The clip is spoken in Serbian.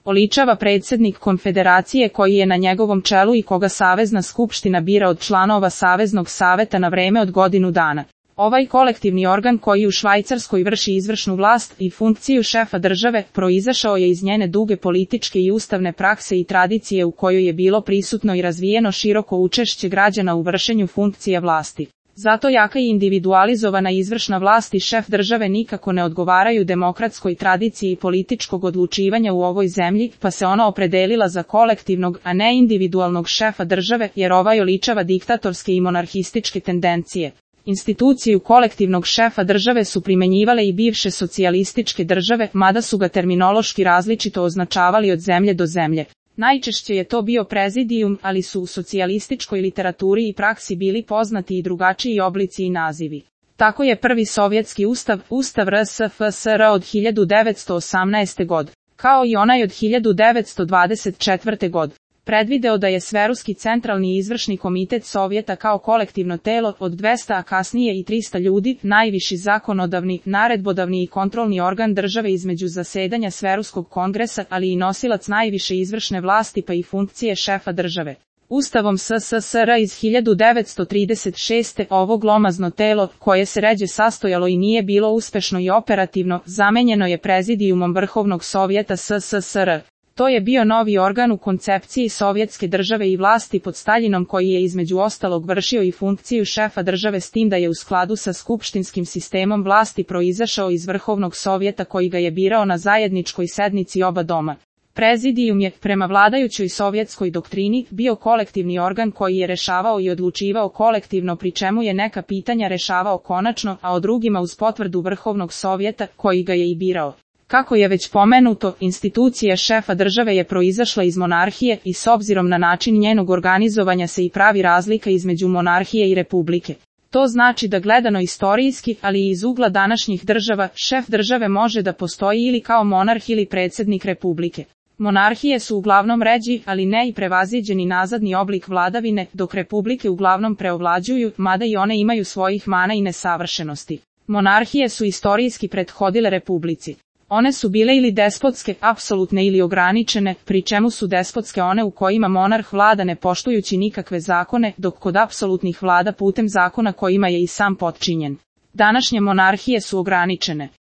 oličava predsjednik konfederacije koji je na njegovom čelu i koga Savezna skupština bira od članova Saveznog saveta na vreme od godinu dana. Ovaj kolektivni organ koji u Švajcarskoj vrši izvršnu vlast i funkciju šefa države proizašao je iz njene duge političke i ustavne prakse i tradicije u kojoj je bilo prisutno i razvijeno široko učešće građana u vršenju funkcija vlasti. Zato jaka i individualizovana izvršna vlast i šef države nikako ne odgovaraju demokratskoj tradiciji političkog odlučivanja u ovoj zemlji, pa se ona opredelila za kolektivnog, a ne individualnog šefa države, jer ovaj oličava diktatorske i monarhističke tendencije. Instituciju kolektivnog šefa države su primenjivale i bivše socijalističke države, mada su ga terminološki različito označavali od zemlje do zemlje. Najčešće je to bio prezidijum, ali su u socijalističkoj literaturi i praksi bili poznati i drugačiji oblici i nazivi. Tako je prvi sovjetski ustav, Ustav RSFSR od 1918. godine, kao i onaj od 1924. godine, predvideo da je Sveruski centralni izvršni komitet Sovjeta kao kolektivno telo od 200, a kasnije i 300 ljudi, najviši zakonodavni, naredbodavni i kontrolni organ države između zasedanja Sveruskog kongresa, ali i nosilac najviše izvršne vlasti pa i funkcije šefa države. Ustavom SSSR iz 1936. ovo glomazno telo, koje se ređe sastojalo i nije bilo uspešno i operativno, zamenjeno je prezidijumom Vrhovnog sovjeta SSSR. To je bio novi organ u koncepciji sovjetske države i vlasti pod Staljinom koji je između ostalog vršio i funkciju šefa države s tim da je u skladu sa skupštinskim sistemom vlasti proizašao iz Vrhovnog sovjeta koji ga je birao na zajedničkoj sednici oba doma. Prezidijum je, prema vladajućoj sovjetskoj doktrini, bio kolektivni organ koji je rešavao i odlučivao kolektivno pri čemu je neka pitanja rešavao konačno, a o drugima uz potvrdu Vrhovnog sovjeta koji ga je i birao. Kako je već pomenuto, institucija šefa države je proizašla iz monarhije i s obzirom na način njenog organizovanja se i pravi razlika između monarhije i republike. To znači da gledano istorijski, ali i iz ugla današnjih država, šef države može da postoji ili kao monarh ili predsjednik republike. Monarhije su uglavnom ređi, ali ne i prevaziđeni nazadni oblik vladavine, dok republike uglavnom preovlađuju, mada i one imaju svojih mana i nesavršenosti. Monarhije su istorijski prethodile republici. One su bile ili despotske, apsolutne ili ograničene, pri čemu su despotske one u kojima monarh vlada ne poštujući nikakve zakone, dok kod apsolutnih vlada putem zakona kojima je i sam potčinjen. Današnje monarhije su ograničene.